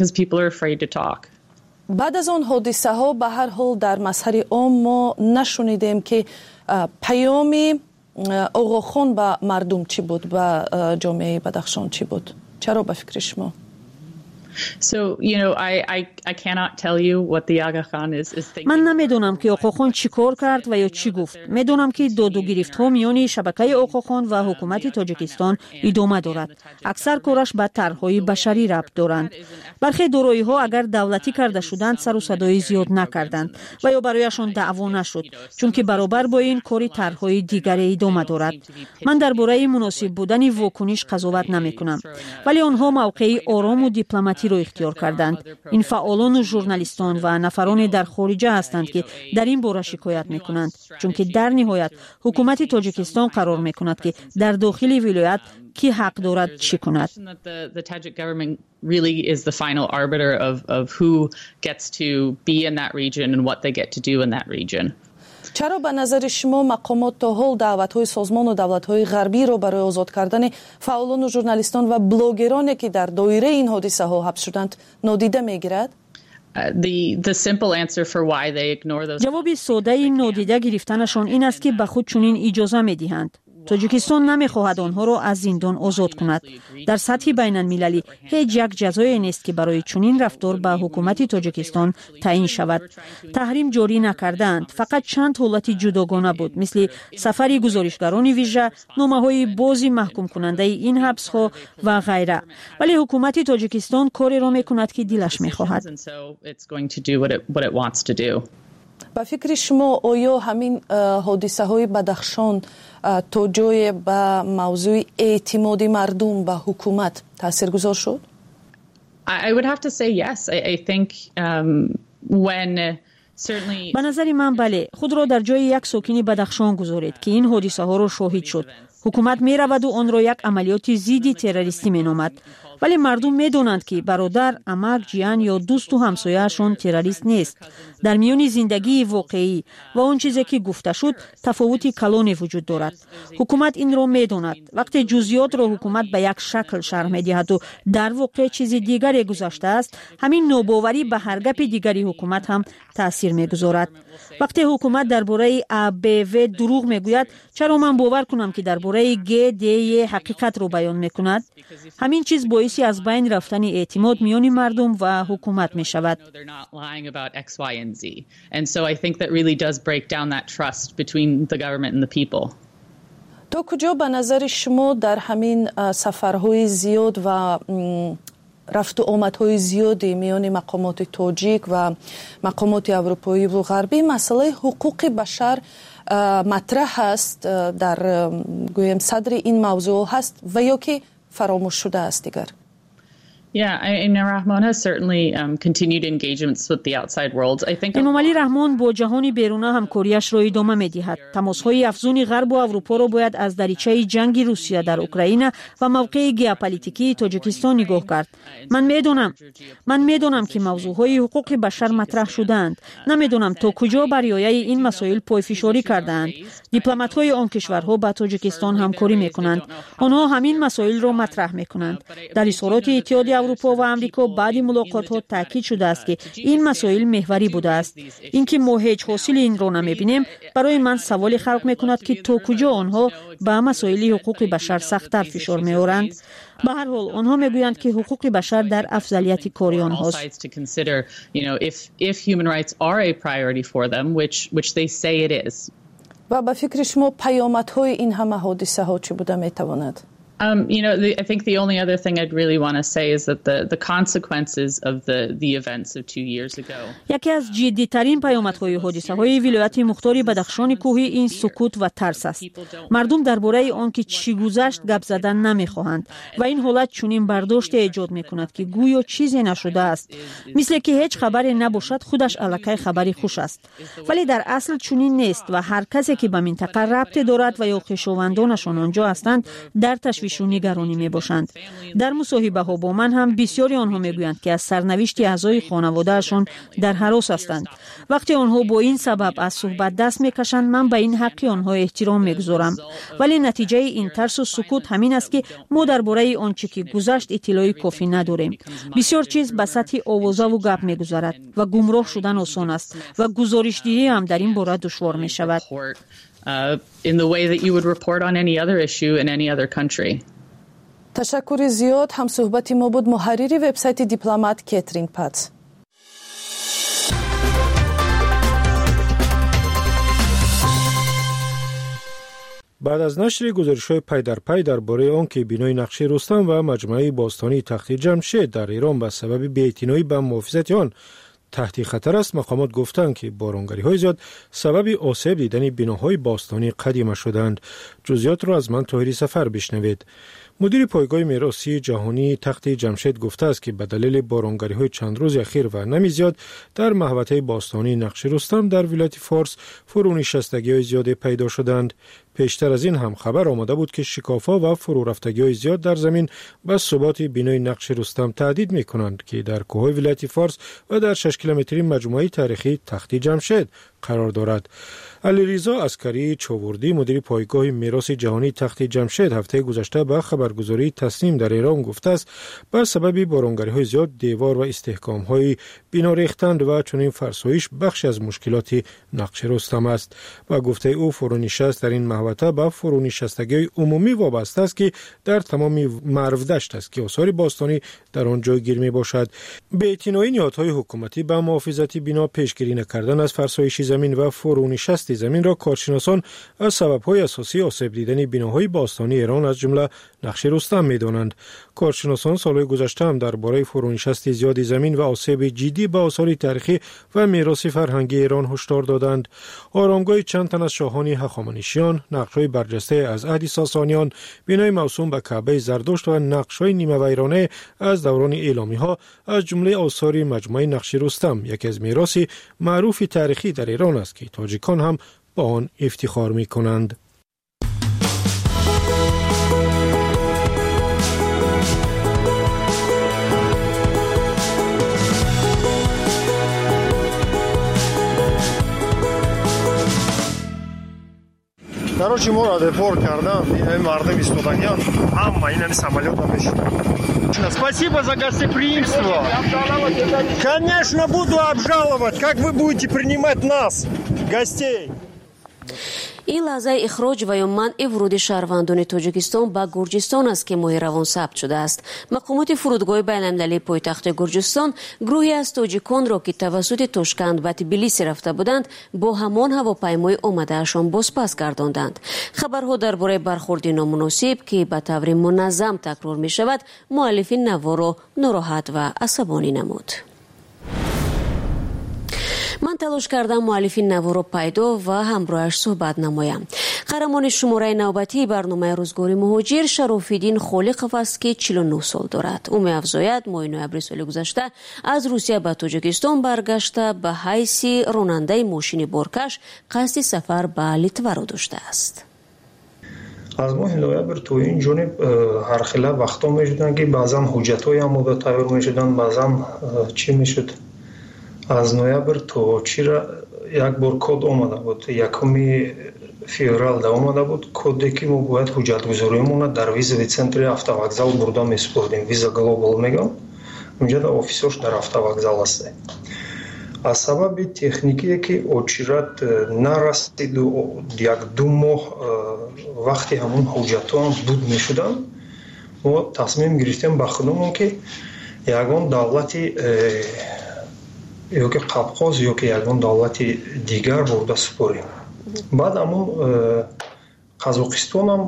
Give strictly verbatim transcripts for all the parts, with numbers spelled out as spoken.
Because people are afraid to talk. Баъд аз он ҳодисаҳо, ба ҳар ҳол, дар мазҳари ом мо нашунидем, ки паёми Оғохон ба мардум чӣ буд, ба ҷомеаи Бадахшон чӣ буд. Чаро, ба фикри шумо? So, you know, I, I, I cannot tell you what the Aga Khan is, is thinking. Ман намедонам, ки Оқохон чӣ кор кард ва ё чӣ гуфт. Медонам, ки додугирифтҳо миёни шабакаи Оқохон ва ҳукумати Тоҷикистон идома дорад. Аксар кораш ба тарҳҳои башарӣ рабт доранд. Бархе дороиҳо, агар давлатӣ карда шуданд, сару садои зиёд накарданд ва ё барояшон даъво нашуд, чунки баробар бо ин кори тарҳҳои дигаре идома дорад. Ман дар бораи муносиб будани вокуниш қазоват намекунам, вале онҳо мавқеи орому дипломатиро ихтиёр карданд. Ин фаъолону журналистон ва нафароне дар хориҷа ҳастанд, ки дар ин бора шикоят мекунанд, чунки дар ниҳоят ҳукумати Тоҷикистон қарор мекунад, ки дар дохили вилоят кӣ ҳақ дорад чӣ кунад. Really is the final arbiter of, of who gets to be in that region and what they get to do in that region. Чаро, ба назари шумо, мақомот то ҳол даъватҳои созмону давлатҳои ғарбиро барои озод кардани фаъолону журналистон ва блогероне, ки дар доираи ин ҳодисаҳо ҳабс шуданд, нодида мегирад? Ҷавоби содаи нодида гирифтанашон ин аст, ки ба худ чунин иҷоза медиҳанд. Тоҷикистон намехоҳад онҳоро аз зиндон озод кунад. Дар сатҳи байналмилалӣ ҳеҷ як ҷазое нест, ки барои чунин рафтор ба ҳукумати Тоҷикистон таъин шавад. Таҳрим ҷорӣ накардаанд. Фақат чанд ҳолати ҷудогона буд, мисли сафари гузоришгарони вижа, номаҳои бози маҳкумкунандаи ин ҳабсҳо ва ғайра. Вале ҳукумати Тоҷикистон кореро мекунад, ки дилаш мехоҳад. Ба фикри шумо, оё ҳамин ҳодисаҳои Бадахшон то ҷое ба мавзӯи эътимоди мардум ба ҳукумат таъсиргузор шуд? I would have to say yes. I, I think um, when certainly Ба назари ман, бале. Худро дар ҷои як сокини Бадахшон гузоред, ки ин ҳодисаҳоро шоҳид шуд. Ҳукумат мераваду онро як амалиёти зидди террористӣ меномад, вале мардум медонанд, ки бародар, амак, ҷиян ё дӯсту ҳамсояашон террорист нест. Дар миёни зиндагии воқеӣ ва он чизе, ки гуфта шуд, тафовути калоне вуҷуд дорад. Ҳукумат инро медонад. Вақте ҷузъиётро ҳукумат ба як шакл шарҳ медиҳаду дар воқеъ чизи дигаре гузаштааст, ҳамин нобоварӣ ба ҳар гапи дигари ҳукумат ҳам таъсир мегузорад. Вақте ҳукумат дар бораи А, Б, В дурӯғ мегӯяд, чаро ман бовар кунам, ки дар бораи Г, Д, Е ҳақиқатро баён мекунад? Ҳамин чиз боиси аз байн рафтани эътимод миёни мардум ва ҳукумат мешавад. And Z. And so I think that really does break down that trust between the government and the people. То куҷо, ба назари шумо, дар ҳамин сафарҳои зиёд ва рафту омадҳои зиёди миёни мақомоти тоҷик ва мақомоти аврупоиву ғарбӣ масъалаи ҳуқуқи башар матраҳ аст, дар, гӯем, садри ин мавзӯъ ҳаст ва ё ки фаромӯш шудааст дигар? Yeah, I mean, Rahmon has certainly um, continued engagements with the outside world. I think Эмомалӣ Раҳмон бо ҷаҳони беруна ҳамкориашро идома медиҳад. Тамосҳои афзуни Ғарбу Аврупоро бояд аз даричаи ҷанги Русия дар Украина ва мавқеи геополитикии Тоҷикистон нигоҳ кард. Ман медонам, ман медонам, ки мавзӯъҳои ҳуқуқи башар матраҳ шудаанд. Намедонам, то куҷо бар риояи ин масоил пойфишорӣ кардаанд. Дипломатҳои он кишварҳо ба Тоҷикистон ҳамкорӣ мекунанд. Онҳо ҳамин масоилро матраҳ мекунанд. Дар изҳороти Иттиҳоди Аврупо ва Амрико баъди мулоқотҳо таъкид шудааст, ки ин масоил меҳварӣ будааст. Ин ки мо ҳеҷ ҳосили инро намебинем, барои ман саволе халқ мекунад, ки то куҷо онҳо ба масоили ҳуқуқи башар сахттар фишор меоранд. Ба ҳар ҳол, онҳо мегӯянд, ки ҳуқуқи башар дар афзалияти кори онҳост. If human rights are a priority for them, which, which they say it is. Ва ба фикри шумо, паёмадҳои ин ҳама ҳодисаҳо чӣ буда метавонад? Um, you know, the, I think the only other thing I'd really want to say is that the, the consequences of the, the events of two years ago. Яке аз ҷиддитарин паёмадҳои ҳодисаҳои вилояти мухтори Бадахшони кӯҳӣ ин сукут ва тарс аст. Мардум дар бораи он ки чӣ гузашт, гап задан намехоҳанд ва ин ҳолат чунин бардоште эҷод мекунад, ки гӯё чизе нашудааст. Мисле ки ҳеҷ хабаре набошад, худаш аллакай хабари хуш аст. Вале дар асл чунин нест ва ҳар касе, ки ба минтақа рабте дорад ва ё хешовандонашон он ҷо ҳастанд, дар ташвиш. ташвишу нигаронӣ мебошанд. Дар мусоҳибаҳо бо ман ҳам бисёри онҳо мегӯянд, ки аз сарнавишти аъзои хонаводаашон дар ҳарос ҳастанд. Вақте онҳо бо ин сабаб аз суҳбат даст мекашанд, ман ба ин ҳаққи онҳо эҳтиром мегузорам. Вале натиҷаи ин тарсу сукут ҳамин аст, ки мо дар бораи он чӣ ки гузашт иттилои кофӣ надорем. Бисёр чиз ба сатҳи овозаву гап мегузарад ва гумроҳ шудан осон аст ва гузоришдиҳӣ ҳам дар ин бора душвор мешавад. In the way that you would report on any other issue in any other country. Ташаккури зиёд. Ҳамсуҳбати мо буд муҳаррири вебсайти Дипломат Кетрин Патс. Баъд аз нашри гузоришҳои пай дар пай дар бораи он ки бинои Нақши Рустам ва маҷмӯаи бостонии Тахти Ҷамшед дар Эрон ба сабаби беэътиноӣ ба муҳофизати он таҳти хатар аст, мақомот гуфтанд, ки боронгариҳои зиёд сабаби осеб дидани биноҳои бостонии қадима шуданд. Ҷузъиётро аз ман Тоҳири Сафар бишнавед. Мудири пойгоҳи меросии ҷаҳонии Тахти Ҷамшед гуфтааст, ки ба далели боронгариҳои чанд рӯзи ахир ва нами зиёд дар маҳватаи бостонии Нақши Рустам дар вилояти Форс фурӯнишастагиҳои зиёде пайдо шуданд. Пештар аз ин ҳам хабар омада буд, ки шикофҳо ва фурӯрафтагиҳои зиёд дар замин ба суботи бинои Нақши Рустам таҳдид мекунанд, ки дар кӯҳҳои вилояти Форс ва дар шаш километри маҷмӯаи таърихии Тахти Ҷамшед қарор дорад. Алиризо Аскарии Човурдӣ, мудири пойгоҳи мероси ҷаҳонии Тахти Ҷамшед, ҳафтаи гузашта ба хабаргузории Тасним дар Эрон гуфтааст, ба сабаби боронгариҳои зиёд девор ва истеҳкомҳои бино рехтанд ва чунин фарсоиш бахши аз мушкилоти Нақши Рустам аст. Ба гуфтаи ӯ, фурӯнишаст дар ин маҳвата ба фурӯнишастагиҳои умумӣ вобаста аст, ки дар тамоми Марвдашт аст, ки осори бостонӣ дар он ҷойгир мебошад. Беэътиноии ниҳодҳои ҳукуматӣ ба муҳофизати бино, пешгирӣ накардан аз фарсоиши замин ва фурӯнишасти заминро коршиносон аз сабабҳои асосии осеб дидани биноҳои бостонии Эрон, аз ҷумла Нақши Рустам, медонанд. Коршиносон солҳои гузашта ҳам дар бораи фурӯнишасти зиёди замин ва осеби ҷиддӣ ба осори таърихӣ ва мероси фарҳангии Эрон ҳушдор доданд. Оромгоҳи чанд тан аз шоҳони ҳахоманишиён, нақшҳои барҷастае аз аҳди Сосониён, бинои мавсум ба Каъбаи Зардушт ва нақшҳои нимавайронае аз даврони эъломиҳо аз ҷумлаи осори маҷмӯаи Нақши Рустам, яке аз мероси маъруфи таърихӣ дар Эрон аст, ки тоҷикон ҳам ба он ифтихор мекунанд. Короче, моро депорт кардан, ин мардум истодагиан, ҳама ин ҳами самолётам мешиданд. Спасибо за гостеприимство. Конечно, буду обжаловать. Как вы будете принимать нас, гостей? Ин лаҳзаи ихроҷ ва ё манъи вуруди шаҳрвандони Тоҷикистон ба Гурҷистон аст, ки моҳи равон сабт шудааст. Мақомоти фурудгоҳи байналмилалии пойтахти Гурҷистон гурӯҳе аз тоҷиконро, ки тавассути Тошканд ба Тбилиси рафта буданд, бо ҳамон ҳавопаймои омадаашон бозпас гардонданд. Хабарҳо дар бораи бархурди номуносиб, ки ба таври муназзам такрор мешавад, муаллифи наворо нороҳат ва асабонӣ намуд. Ман талош кардам муаллифи наворо пайдо ва ҳамроҳаш суҳбат намоям. Қаҳрамони шумораи навбатии барномаи Рӯзгори муҳоҷир Шарофиддин Холиқов аст, ки чилу нӯҳ сол дорад. Ӯ меафзояд, моҳи ноябри соли гузашта аз Русия ба Тоҷикистон баргашта, ба ҳайси ронандаи мошини боркаш қасди сафар ба Литваро доштааст. Аз моҳи ноябр то ин ҷониб ҳархела вақтҳо мешуданд, ки баъзан ҳуҷҷатҳои омода тайёр мешуданд, баъзан чӣ мешуд. Аз ноябр то чира як бор код омада буд, якуми феврал да омада буд коде, ки мо бояд ҳуҷҷатгузориамонро дар визовый центри автовокзал бурда месупурдем. Виза Глобал мегӯям, унҷа да офисош дар автовокзал аст. Аз сабаби техникие, ки очират нарасиду як ду моҳ вақти ҳамон ҳуҷҷатҳоам буд мешуданд, мо тасмим гирифтем ба худамон, ки ягон давлати ёки Қапқоз ёки ягон давлати дигар бурда супорем. Баъд ҳамон Қазоқистонам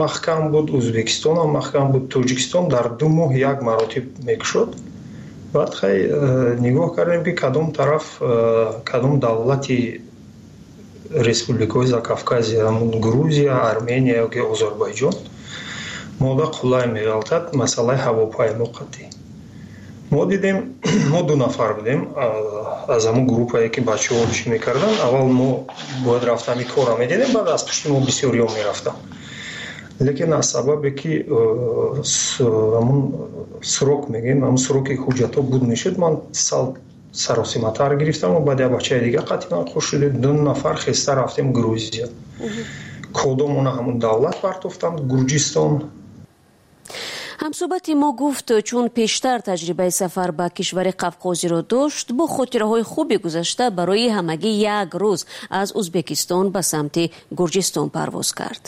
маҳкам буд, Ӯзбекистонам маҳкам буд, Тоҷикистон дар ду моҳ як маротиб мекушод. Баъд хай нигоҳ кардем, ки кадом тараф, кадом давлати республикаҳои Закавказия, ҳамон Грузия, Армения ёки Озарбойҷон мода қулай меғалтад масъалаи ҳавопаймо қатъӣ. Мо дидем, мо ду нафар будем аз ҳамон группае, ки бачаҳо чӣ мекарданд. Аввал мо бояд рафтам ин корро медидем, баъд аз пушти мо бисёриҳо мерафтанд. Лекин аз сабабе ки ҳамун срок мегӯем, ҳамун сроки ҳуҷҷатҳо буд мешуд, ман сал саросиматар гирифтам ва баъд як бачаи дига қатъан хуш шуд, ду нафар хеста рафтем Грузия. Кодомона ҳамун давлат партофтам, Гурҷистон. Ҳамсӯҳбати мо гуфт, чун пештар таҷрибаи сафар ба кишвари Қавқозиро дошт, бо хотираҳои хуби гузашта барои ҳамагӣ як рӯз аз Узбекистон ба самти Гурҷистон парвоз кард.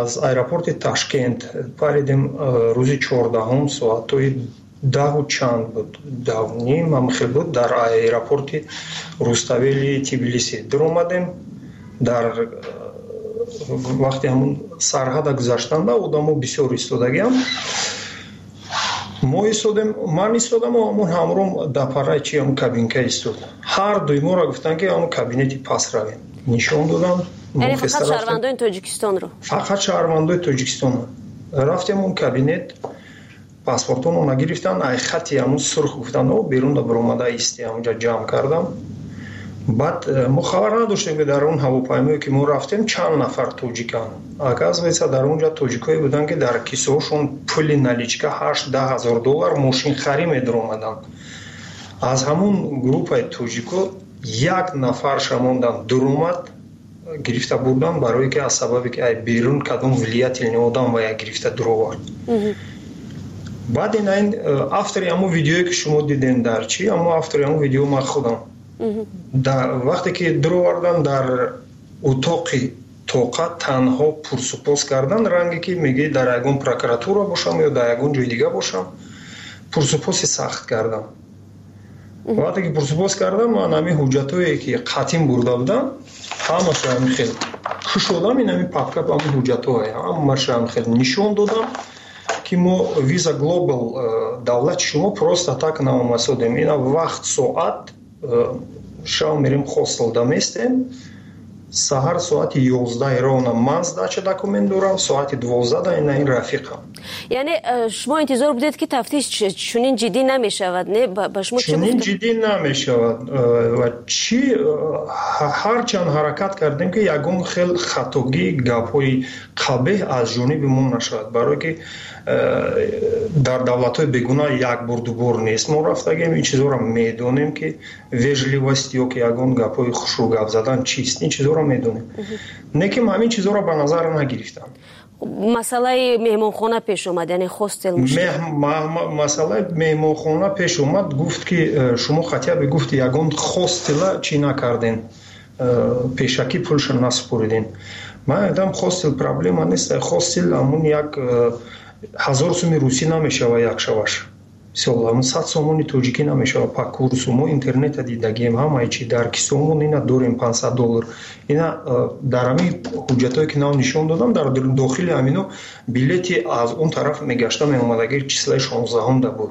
Аз аэропорти Ташкент паридем рӯзи чордаҳум, соатҳои даҳу чанд буд, даҳу ним ҳамхел буд, дар аэропорти Руставели Тбилиси дуромадем. Дар вақти ҳамун сарҳада гузаштанда одамо бисёр истодагиам. Мо истодем, ман истодам ва ҳамун ҳамром дар параи чи ҳамун кабинка истод. Ҳар дуи моро гуфтанд, ки ҳамун кабинети пас равем. Нишон додам. Яъне фақат шаҳрвандони Тоҷикистонро? Фақат шаҳрвандои Тоҷикистонро. Рафтем он кабинет, паспортонро гирифтан, ай хати ҳамун сурх гуфтанд, о берун да баромада исти, ҳамунҷа ҷамъ кардам. Баъд мо хабар надоштем, ки дар он ҳавопаймое ки мо рафтем чанд нафар тоҷиканд. Оказывается, дар он ҷа тоҷикое буданд, ки дар кисаҳошон пули наличка ҳашт даҳ ҳазор доллар мошинхарӣ медаромаданд. Аз ҳамун группаи тоҷико як нафарша мондан дуромад, гирифта бурдан, барое ки аз сабабе ки ай берун кадом влиятельный одам ва як гирифта дуровард. Баъд ин айн автори ҳамун видеое ки шумо дидем дар чи, ҳамун автори ҳамун видео ман худам. Вақте ки дуровардан дар утоқи тоқа танҳо пурсупос кардан, ранге ки мегӯӣ дар ягон прокуратура бошам ё дар ягон ҷои дига бошам, пурсупоси сахт кардам. Вақте ки пурсупос кардам, ман ҳамин ҳуҷҷатҳое ки қатъин бурда будам, ҳамаша ҳамин хел кушодам, ин ҳамин папка ҳамин ҳуҷҷатҳое, ҳамаша ҳамин хел нишон додам, ки мо Visa Global давлати шумо просто так наомасодем. Ина вақт соат шав мерем хостел даместем, саҳар соати ёздаҳ ровно ман сдача документ дорам, соати дувоздаҳ ина ин рафиқам. Яъне шумо интизор будед, ки тафтиш чунин ҷиддӣ намешавад, не? Ба шумо чӣ чунин ҷиддӣ намешавад. Ва чӣ ҳарчанд ҳаракат кардем, ки ягон хел хатогӣ, гапҳои қабеҳ аз ҷониби мо нашавад, барое ки дар давлатҳои бегуна як бор дубор нест мо рафтагем, ин чизҳоро медонем, ки вежливость ё ки ягон гапҳои хушрӯ гап задан чист, ин чизҳоро медонем. Не ки ҳамин чизҳоро ба назар нагирифтам. Масъалаи меҳмонхона пеш омад, яъне хостел мушкил. Масъалаи меҳмонхона пеш омад, гуфт ки шумо хотя бы гуфт ягон хостела чӣ накарден, пешакӣ пулша насупориден. Ман гуфтам хостел проблема нест, хостел ҳамун як ҳазор суми русӣ намешава як шаваш. Мисол, ҳамун сад сомони тоҷикӣ намешава па курсу. Мо интернета дидагием, ҳамаи чи дар кисомон ина дорем панҷсад доллар. Ина дар ҳамин ҳуҷҷатҳое ки нав нишон додам, дар дохили ҳамино билети аз он тараф мегашта меомадаги числаи шонздаҳум да буд.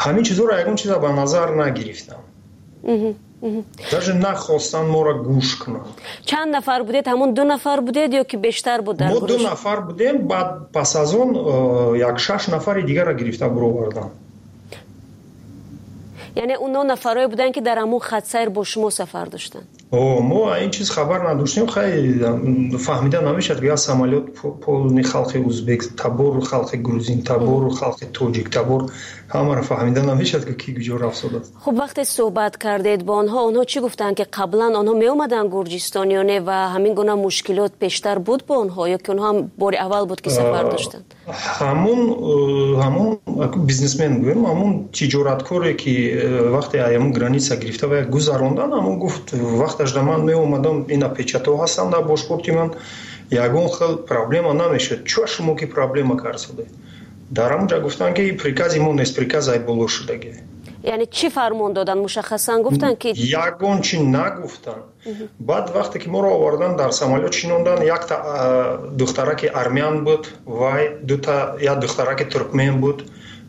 Ҳамин чизҳоро ягон чиза ба назар нагирифтам. Даже нахостанд моро гӯш кунанд. Чанд нафар будед? Ҳамун ду нафар будед ё ки бештар буд дар гурӯҳ? Мо ду нафар будем, баъд пас аз он як шаш нафари дигарро гирифта буроварданд. Яъне онҳо нафарое буданд, ки дар ҳамун хатсайр бо шумо сафар доштанд? О, мо ин чиз хабар надоштем. Хай фаҳмида намешавад, ки як самолёт полни халқи узбек табор, халқи грузин табор, халқи тоҷик табор, ҳамаро фаҳмида намешавад, ки ки куҷо рафт шудааст. Хуб, вақте суҳбат кардед бо онҳо, онҳо чӣ гуфтанд, ки қаблан онҳо меомаданд Гурҷистон ё не, ва ҳамин гуна мушкилот пештар буд бо онҳо ё ки онҳо ҳам бори аввал буд, ки сафар доштанд? Ҳамун ҳамун бизнесмен гӯем, ҳамун тиҷораткоре ки вақте ҳамун граница гирифта ва гузарондан, ҳамун гуфт вақташ да ман меомадам, ина печатҳо ҳастанд дар бошпорти ман, ягон хел проблема намешуд. Чо шумо ки проблема кард шуда? Дар ҳамунҷа гуфтанд, ки прикази мо нест, приказ ай боло шудаги. Яъне чӣ фармон доданд? Мушаххасан гуфтанд ки ягон чи нагуфтанд. Баъд вақте ки моро овардан дар самолёт шинондан, якта духтараки армян буд, вай дута як духтараки туркмен буд,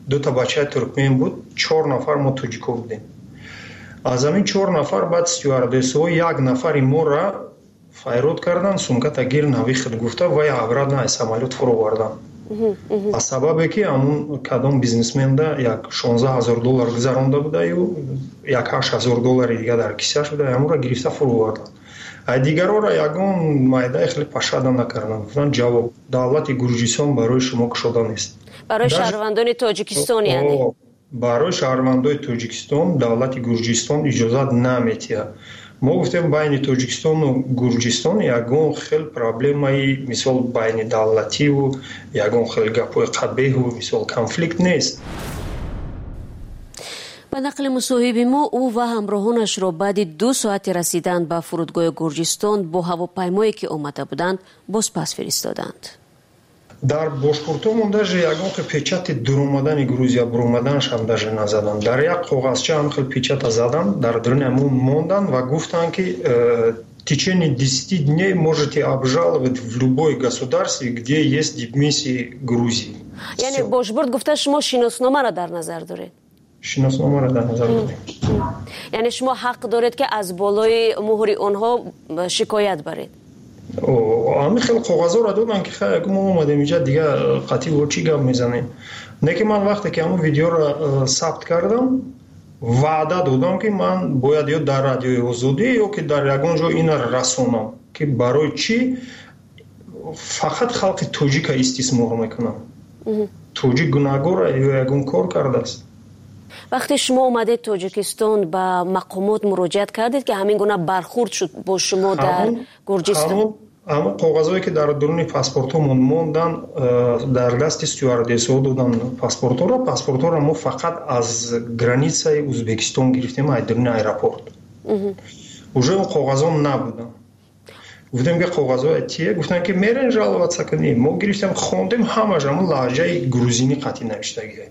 дута бачаи туркмен буд, чор нафар мо тоҷико будем. Аз ҳамин чор нафар баъд стюардессҳо як нафари моро файрод кардан, сумката гир навихд гуфта, вай обратно аз самолёт фуровардан. Аз сабабе ки ҳамун кадом бизнесменда як шонздаҳ ҳазор доллар гузаронда будаю, як ҳашт ҳазор доллари дига дар кисааш буда, ҳамонро гирифта фуровардан. А дигарора ягон майдаи хеле пашада накарданд. Гуфтанд, ҷавоб: давлати Гурҷистон барои шумо кушода нест. Барои шаҳрвандони Тоҷикистон яъне? Барои шаҳрвандои Тоҷикистон давлати Гурҷистон иҷозат наметиҳад. Мо гуфтем, байни Тоҷикистону Гурҷистон ягон хел проблемаи, мисол, байни давлативу ягон хел гапҳои қабеҳу, мисол, конфликт нест. Ба нақли мусоҳиби мо, ӯ ва ҳамроҳонашро баъди ду соати расидан ба фурудгоҳи Гурҷистон бо ҳавопаймое, ки омада буданд, бозпас фиристоданд. Дар бошпуртомон даже ягон хел печати дуромадани Грузия, буромаданашам даже назаданд. Дар як коғазча ҳам хел печата заданд, дар даруни ҳамон монданд ва гуфтанд, ки э, в течение десяти дней можете обжаловать в любой государстве, где есть дипмиссии Грузии. Яъне бошбурд гуфта, шумо шиносномаро дар назар доред? Шиносномаро дар назар дорем. Яъне шумо ҳақ доред, ки аз болои муҳри онҳо шикоят баред? Ҳамин хел коғазҳоро доданд, ки хай, мо омадем инҷа, дига қатъи во чӣ гап мезанем? Не ки ман вақте ки ҳамон видеоро э, сабт кардам, ваъда додам, ки ман бояд ё дар Радиои Озодӣ, ё ки дар ягон ҷо ина расонам, ки барои чӣ фақат халқи тоҷика истисмор мекунам. Тоҷик гунаҳгора ё ягон кор кардааст? Вақте шумо омадед Тоҷикистон, ба мақомот муроҷиат кардед, ки ҳамин гуна бархурд шуд бо шумо дар Гурҷистон? Ҳамон коғазҳое, ки дар дуруни паспортҳомон монданд, э, дар дасти стюардессҳо доданд паспортҳоро. Паспортҳоро мо фақат аз границаи Узбекистон гирифтем, аз дуруни аэропорт. Уже он коғазҳо набуданд. Гуфтем, ки коғазҳоя тие? Гуфтанд, ки мерен жаловаться кунем. Мо гирифтем, хондем, ҳамаш ҳамон лаҳҷаи грузинӣ қатъи навиштагия.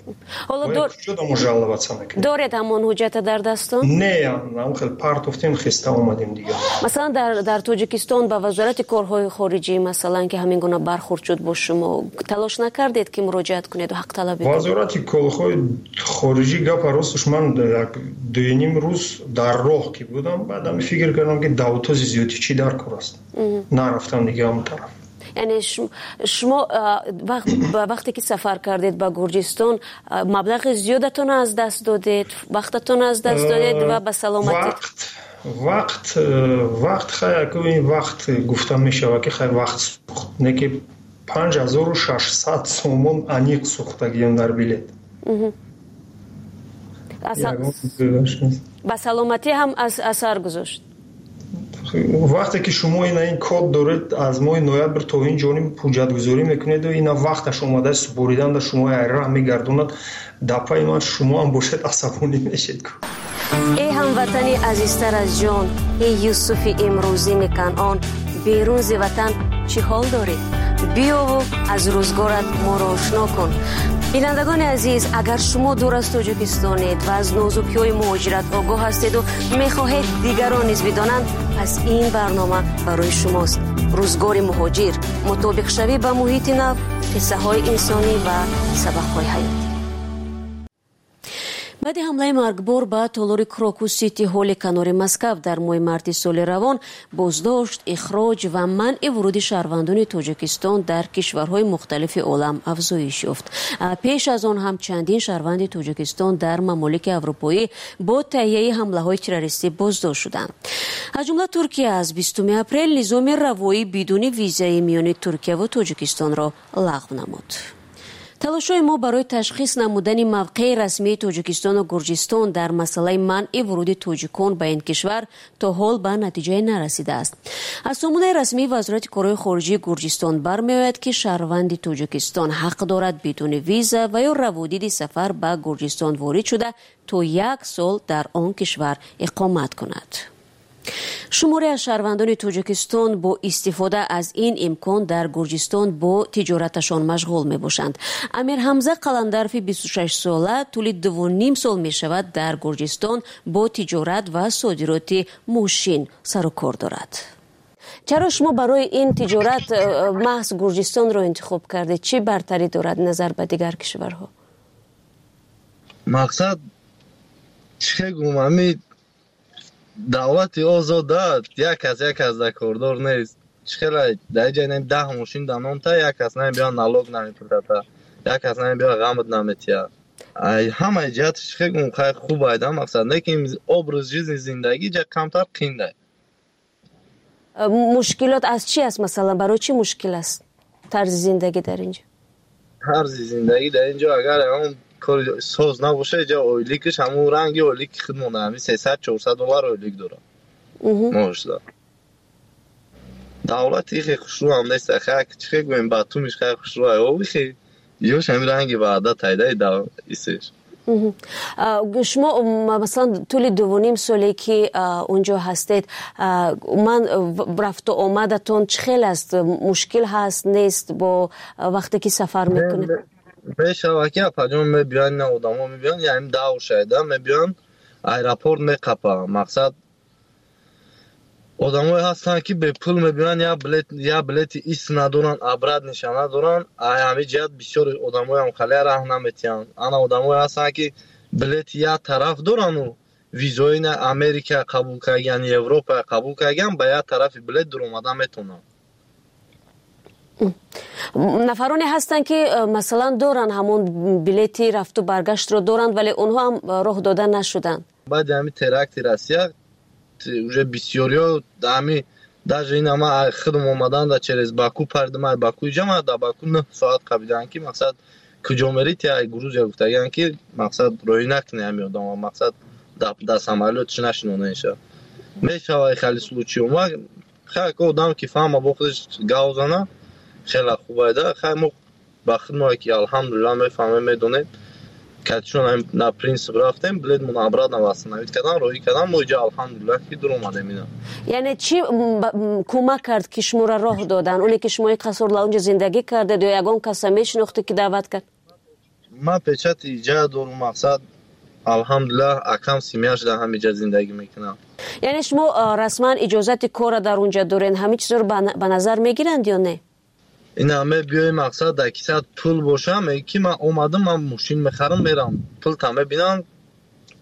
Куҷо мо жаловаться мекунем? Доред ҳамон ҳуҷҷата дар дастон? Не, ҳамон хел партофтем, хеста омадем дига. Масалан, дар Тоҷикистон ба Вазорати корҳои хориҷӣ, масалан, ки ҳамин гуна бархурд шуд бо шумо, талош накардед, ки муроҷиат кунед ҳақталабӣ? Вазорати корҳои хориҷӣ, гапа росташ, ман як дуюним рӯз дар роҳ ки будам, баъдам фикр кардам, ки давтози зиёдӣ чӣ дар кор аст, нарафтам дига ҳамон тараф. Яъне шумо вақте ки сафар кардед ба Гурҷистон, маблағи зиёдатонро аз даст додед, вақтатонро аз даст додед ва ба саломатӣ? Вақт, вақт, хай, ин вақт гуфта мешавад, ки хай, вақт сӯхт, не ки панҷ ҳазору шашсад сомон аниқ сӯхтагием дар билет. Ба саломатӣ ҳам асар гузошт? Вақте ки шумо ина ин код доред, аз моҳи ноябр то ин ҷониб ҳуҷҷатгузорӣ мекунеду ина вақташ омада супоридан да шумо айраҳ мегардонад, дар пайи ман шумо ҳам бошед, асабонӣ мешед. Эй ҳамватани азизтар аз ҷон, эй Юсуфи имрӯзини Канъон, берун зи ватан чӣ ҳол дорӣ? Биёву аз рӯзгорат моро ошно кун. Бинандагони азиз, агар шумо дур аз Тоҷикистонед ва аз нозукиҳои муҳоҷират огоҳ ҳастеду мехоҳед дигарон низ бидонанд, пас ин барнома барои шумост. Рӯзгори муҳоҷир, мутобиқшавӣ ба муҳити нав, қиссаҳои инсонӣ ва сабақҳои ҳаёт. Баъди ҳамлаи маргбор ба толори Крокус Сити Ҳоли канори Москав дар моҳи марти соли равон, боздошт, ихроҷ ва манъи вуруди шаҳрвандони Тоҷикистон дар кишварҳои мухталифи олам афзоиш ёфт. Пеш аз он ҳам чандин шаҳрванди Тоҷикистон дар мамолики аврупоӣ бо таҳияи ҳамлаҳои террористӣ боздошт шуданд. Аз ҷумла Туркия аз бистуми апрел низоми равоӣ бидуни визаи миёни Туркияву Тоҷикистонро лағв намуд. Талошҳои мо барои ташхис намудани мавқеи расмии Тоҷикистону Гурҷистон дар масъалаи манъи вуруди тоҷикон ба ин кишвар то ҳол ба натиҷае нарасидааст. Аз сомонаи расмии Вазорати корҳои хориҷии Гурҷистон бармеояд, ки шаҳрванди Тоҷикистон ҳақ дорад бидуни виза ва ё раводиди сафар ба Гурҷистон ворид шуда, то як сол дар он кишвар иқомат кунад. Шуморе аз шаҳрвандони Тоҷикистон бо истифода аз ин имкон дар Гурҷистон бо тиҷораташон машғул мебошанд. Амирҳамза Қаландарфи бисту шаш сола тӯли дуву ним сол мешавад дар Гурҷистон бо тиҷорат ва содироти мошин сару кор дорад. Чаро шумо барои ин тиҷорат маҳз Гурҷистонро интихоб кардед? Чӣ бартарӣ дорад назар ба дигар кишварҳо? Мақсад чӣ гум, ами давлати озода, як кас як кас дар кордор нест. Чӣ хела дар ҷай нем даҳ мошин дар номта, як кас намебиёд, налог намепурсата, як кас намебиёд, ғамат наметиҳад. Ҳамаи ҷиҳат чӣ хел гум, хай хуб айда мақсад, лекин образ жизни, зиндагӣ ҷа камтар қиндай. Мушкилот аз чӣ аст, масалан, барои чӣ мушкил аст тарзи зиндагӣ дар инҷо? Тарзи зиндагӣ дар инҷо агар ягон кори соз набошад, инҷо ойликаш ҳамун ранги ойлики худмон, ҳамин сесад чорсад доллар ойлик дорад моҳашда. Давлати ихе хушрӯ ҳам нест, хай чӣ хел гӯем, Батумиш хай хушрӯ ай, о ихе ёш ҳамин ранги ваъда тайдаи исеш. Шумо масалан тӯли дуву ним соле ки унҷо ҳастед, ман рафту омадатон чӣ хел аст? Мушкил ҳаст, нест бо вақте ки сафар мекунед? Мешавад ки апаҷон мебиён, ина одамо мебиён, яъне давр шайда мебиён, аэропорт меқапа. Мақсад одамое ҳастанд ки бепул мебиён, я билет, я билети ис надоранд, обратный ша надоранд. Ай ҳамин ҷиҳат бисёр одамоям халия раҳ наметиҳанд. Ана одамое ҳастанд ки билети як тараф дорану визои на Америка қабул кардагиан, Европа қабул кардагиан, ба як тарафи билет дуромада метавонанд. Нафароне ҳастанд ки масалан доранд ҳамон билети рафту баргаштро доранд, вале онҳо ҳам роҳ дода нашуданд. Баъди ҳамин теракти Россия уже бисёриҳо ҳами даже ин ама худм омадан да через Баку паридам, ай Баку иҷа ма да Баку нӯҳ соат қабидаанд ки мақсад куҷо мерӣ, ти ай Грузия гуфтагианд ки мақсад роҳӣ накунӣ ҳами одама, мақсад да самолётш нашинонеша. Мешава хеле случай ма хай ко одам ки фаҳма бо худаш гав зана хеле хубайда. Хай мо ба худмо ки алҳамдулилла мефаҳмем, медонем, катишон на принцип рафтем, билетмон обратно восстановить кардан, роҳӣ кардан, мо иҷа алҳамдулилла ки дуромадем ина. Яъне чӣ кӯмак кард ки шуморо роҳ додан? Оне ки шумо ин қаср лаунҷа зиндагӣ кардед ё ягон каса мешинохтед ки даъват кард? Ман печати иҷа дорум, мақсад алҳамдулилла акам семья ш дар ҳамиҷа зиндагӣ мекунам. Яъне шумо расман иҷозати корро дар унҷа доред, ҳамин чизро ба назар мегиранд ё не? Ина мебиёи, мақсад дар кисат пул боша, меги ки ман омадам, ман мошин мехарам, мерам, пулта мебинам,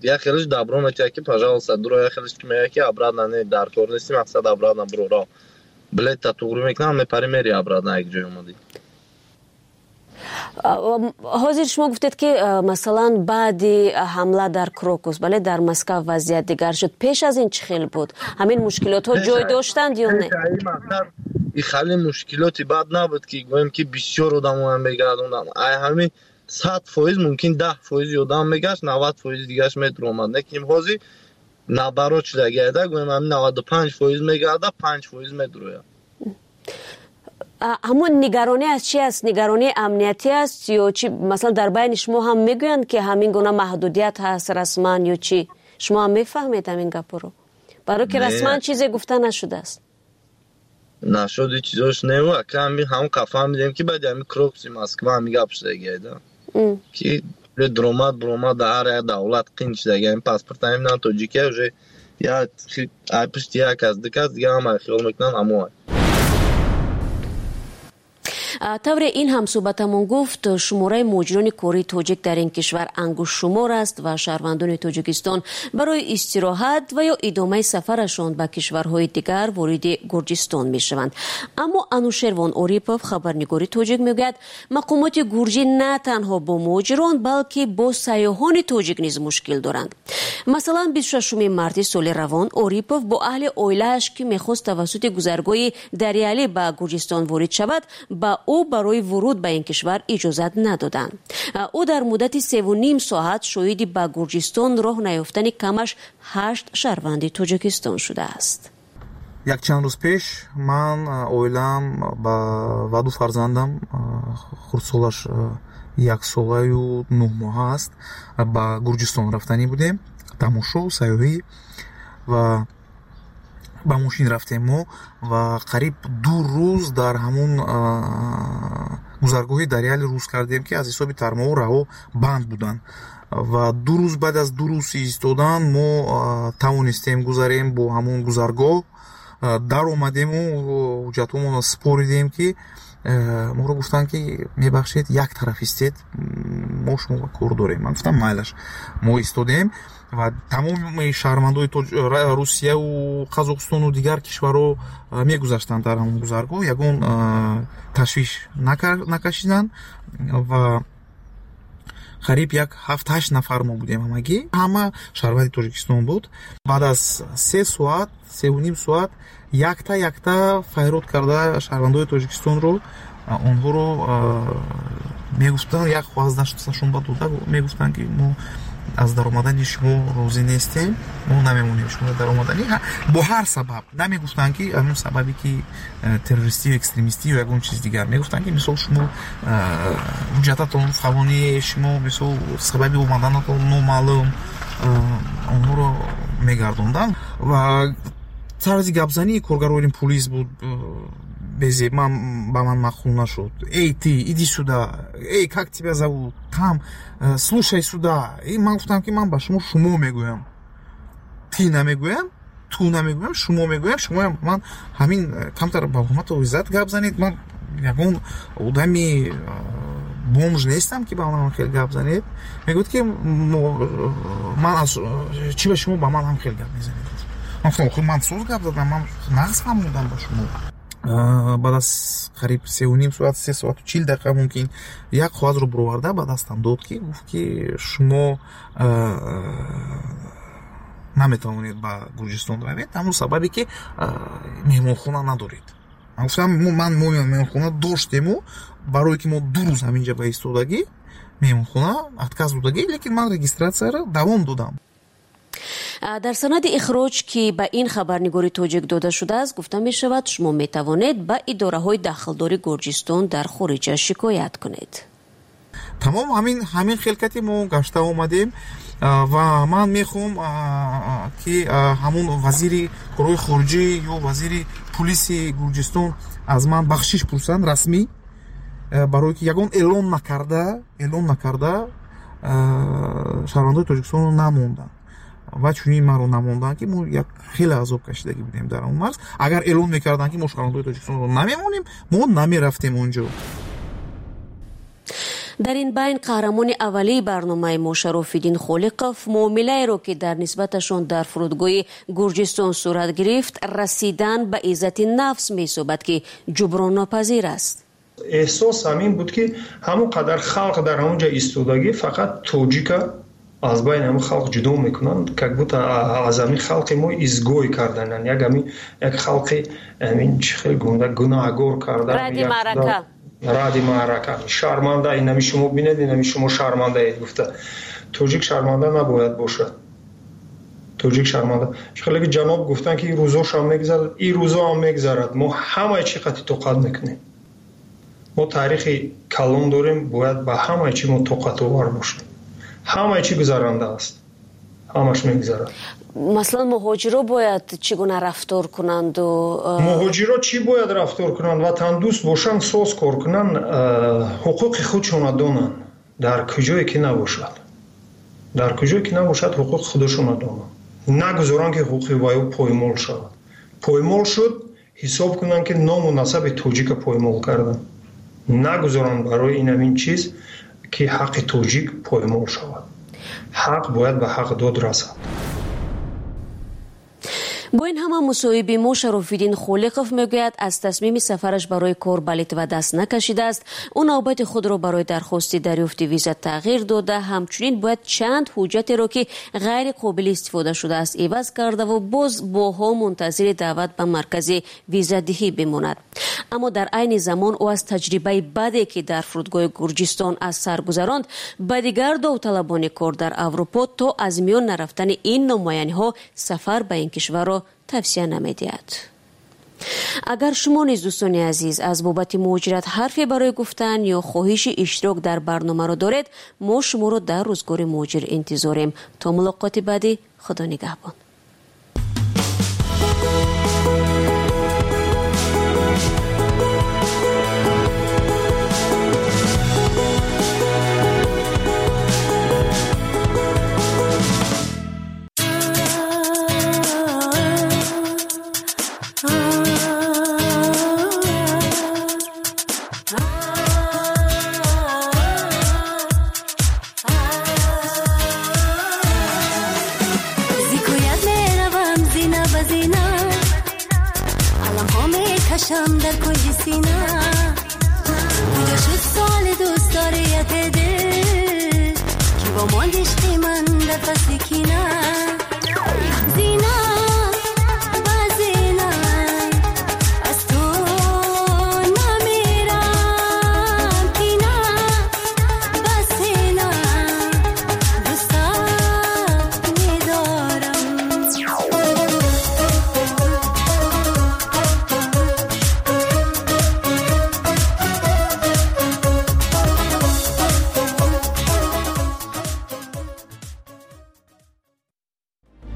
як хелиш добро метиҳад ки пожалуйста дуро, як хелиш ки мега ки обратно не, дар кор нести, мақсад обратно биро ро, билетта туғрӣ мекунам, мепарӣ мери обратно як ҷой омадӣ. Ҳозир шумо гуфтед ки масалан баъди ҳамла дар Крокус, бале, дар Москва вазъият дигар шуд. Пеш аз ин чӣ хел буд? Ҳамин мушкилотҳо ҷой доштанд ё не? И хеле мушкилоти бад набуд ки гӯем ки бисёр одамоям мегардонданд. Ай ҳамин сад фоиз мумкин даҳ фоизи одам мегашт, навад фоизи дигараш медуромад. Лекин ҳозир наоборот шудагиада, гӯем ҳамин наваду панҷ фоиз мегарда, панҷ фоиз медурояд. Ҳамон нигаронӣ аз чи аст? Нигаронии амниятӣ аст ё чи? Масалан дар байни шумо ҳам мегӯянд ки ҳамин гуна маҳдудият ҳаст расман ё чӣ? Шумо ҳам мефаҳмед ҳамин гапҳоро? Барои ки расман чизе гуфта нашудааст. Нашуди чизош неву, ака ҳами ҳамон қа фаҳмидем ки баъди ҳамин Крокуси Москва ҳами гап шудагиада ки дуромад буромад дар ҳар як давлат қин шудаги. Ҳамин паспорт ҳамин на тоҷикия уже я ай пушти як кас ду кас дига ҳама хиёл мекунанд ҳамон. Тавре ин ҳамсӯҳбатамон гуфт, шумораи муҳоҷирони кории тоҷик дар ин кишвар ангуштшумор аст ва шаҳрвандони Тоҷикистон барои истироҳат ва ё идомаи сафарашон ба кишварҳои дигар вориди Гурҷистон мешаванд. Аммо Анушервон Орипов, хабарнигори тоҷик, мегӯяд мақомоти гурҷӣ на танҳо бо муҳоҷирон, балки бо сайёҳони тоҷик низ мушкил доранд. Масалан, бисту шашуми марти соли равон Орипов бо аҳли оилааш ки мехост тавассути гузаргоҳи Дарьяли ба Гурҷистон ворид шавад, ба ӯ барои вуруд ба ин кишвар иҷозат надоданд. Ӯ дар муддати севу ним соат шоҳиди ба Гурҷистон роҳ наёфтани камаш ҳашт шаҳрванди Тоҷикистон шудааст. Якчанд рӯз пеш ман, оилаам ва ду фарзандам, хурдсолаш яксолаю нӯҳ моҳа аст, ба Гурҷистон рафтанӣ будем, тамошо, сайёҳӣ, ва ба мошин рафтем мо ва қариб ду рӯз дар ҳамун гузаргоҳи Дарьяли рӯз кардем ки аз ҳисоби тармову раҳо банд буданд. Ва ду рӯз баъд аз ду рӯз истодан мо тавонистем гузарем бо ҳамун гузаргоҳ, даромадему ҳуҷҷатҳомонро супоридем ки моро гуфтанд ки мебахшед, як тараф истед, мо шумо кор дорем. Ман гуфтам майлаш, мо истодем ва тамоми шаҳрвандои Русияву Қазоқистону дигар кишварҳо мегузаштанд дар ҳамон гузаргоҳ, ягон ташвиш накашиданд ва Қариб як ҳафт ҳашт нафар мо будем ҳамагӣ. Ҳама шаҳрванди Тоҷикистон буд. Баъд аз се соат, севу ним соат якта якта файрод карда шаҳрвандои Тоҷикистонро онҳоро мегуфтанд, як хоҳаз дасташон ба дода мегуфтанд, ки мо аз даромадани шумо розӣ нестем, мо намемонем шумо даромадани. Бо ҳар сабаб намегуфтанд, ки ҳамон сабабе ки террористию экстремистию ягон чиз дигар. Мегуфтанд, ки мисол шумо ҳуҷҷататон фалони, шумо мисол сабаби омаданатон номаълум. Онҳоро мегардонданд ва тарзи гапзании коргарони пулис буд безеб, ман ба ман маъқул нашуд. Эй ты, иди сюда, эй, как тебя зовут, там, слушай сюда. И ман гуфтам, ки ман ба шумо шумо мегӯям, ты намегӯям, ту намегӯям, шумо мегӯям. Шумоям ман ҳамин камтар ба ҳурмату иззат гап занед. Ман ягон одами бомж нестам, ки ба ман хел гап занед. Мегӯяд, ки ман аз чӣ ба шумо ба ман ҳам хел гап мезанед. Ман гуфтам, охир ман соз гап задам, ман нағз фаҳмондам ба шумо. Баъд аз қариб севу ним соат, се соату чил дақиқа мумкин, як коғазро бироварда ба дастам дод, ки гуфт, ки шумо наметавонед ба Гурҷистон равед, ҳамон сабабе ки меҳмонхона надоред. Ман гуфтам, ман мо меҳмонхона доштему, барое ки мо ду рӯз ҳаминҷа ба истодагӣ меҳмонхона отказ додагӣ, лекин ман регистратсияро давом додам. Дар санади ихроҷ, ки ба ин хабарнигори тоҷик дода шудааст, гуфта мешавад, шумо метавонед ба идораҳои дахлдори Гурҷистон дар хориҷа шикоят кунед. Тамом ҳамин ҳамин хелкати мо гашта омадем ва ман мехоҳам, ки ҳамун вазири корҳои хориҷӣ ё вазири пулиси Гурҷистон аз ман бахшиш пурсанд расмӣ, барое ки ягон эълон накарда эълон накарда шаҳрвандои Тоҷикистонро намонданд ва чунин маро намонданд, ки мо як хеле азоб кашидагӣ будем дар он марз. Агар эълон мекарданд, ки мо шаҳрвандои Тоҷикистонро намемонем, мо намерафтем онҷо. Дар ин байн қаҳрамони аввалии барномаи мо Шарофиддин Холиқов муомилаеро, ки дар нисбаташон дар фурудгоҳи Гурҷистон сурат гирифт, расидан ба иззати нафс меҳисобад, ки ҷуброннопазир аст. Эҳсос ҳамин буд, ки ҳамон қадар халқ дар ҳамон ҷо истодагӣ, фақат тоҷика аз байни ҳамин халқ ҷудо мекунанд, как будто аз ҳамин халқи мо изгой кардананд, як ҳамин як халқи ҳамин чӣ хел гунда гунаҳгор кардан, ради маърака, ради маърака, шарманда, инами шумо бинед, инами шумо шармандаед гуфта. Тоҷик шарманда набояд бошад. Тоҷик шарманда. Чӣ хеле ки ҷаноб гуфтанд, ки ин рӯзошам мегузарад, ин рӯзо ҳам мегузарад. Мо ҳамаи чӣ қати тоқат мекунем. Мо таърихи калон дорем, бояд ба ҳамаи чӣ мо тоқатовар бошем. Ҳамаи чӣ гузаранда аст, ҳамаш мегузарад. Масалан, муҳоҷиро бояд чӣ гуна рафтор кунанд? Муҳоҷиро чӣ бояд рафтор кунанд? Ватандӯст бошанд, соз кор кунанд, ҳуқуқи худшона донанд. Дар куҷое ки набошад, дар куҷое ки набошад, ҳуқуқи худашона донанд. Нагузоранд, ки ҳуқуқи вай поймол шавад. Поймол шуд, ҳисоб кунанд, ки ному насаби тоҷика поймол карданд. Нагузоранд барои ин ҳамин чиз, ки ҳаққи тоҷик поймол шавад. Ҳақ бояд ба ҳақ дод расад. Бо ин ҳама мусоҳиби мо Шарофиддин Холиқов мегӯяд, аз тасмими сафараш барои кор ба Литва даст накашидааст. Ӯ навбати худро барои дархости дарёфти виза тағйир дода, ҳамчунин бояд чанд ҳуҷҷатеро, ки ғайри қобили истифода шудааст, иваз кардаву боз боҳо мунтазири даъват ба маркази визадиҳӣ бимонад. Аммо дар айни замон ӯ аз таҷрибаи баде, ки дар фурудгоҳи Гурҷистон аз сар гузаронд, ба дигар довталабони кор дар Аврупо то аз миён нарафтани ин номуайяниҳо сафар ба ин кишварро тавсия намедиҳад. Агар шумо низ, дӯстони азиз, аз бобати муҳоҷират ҳарфе барои гуфтан ё хоҳиши иштирок дар барномаро доред, мо шуморо дар рӯзгори муҳоҷир интизорем. То мулоқоти баъдӣ, Худо нигаҳбон. کشم در کنج سینه، کجا شد سال دوست داریت دل، Зебо монд ишқи ман дар фасли кина.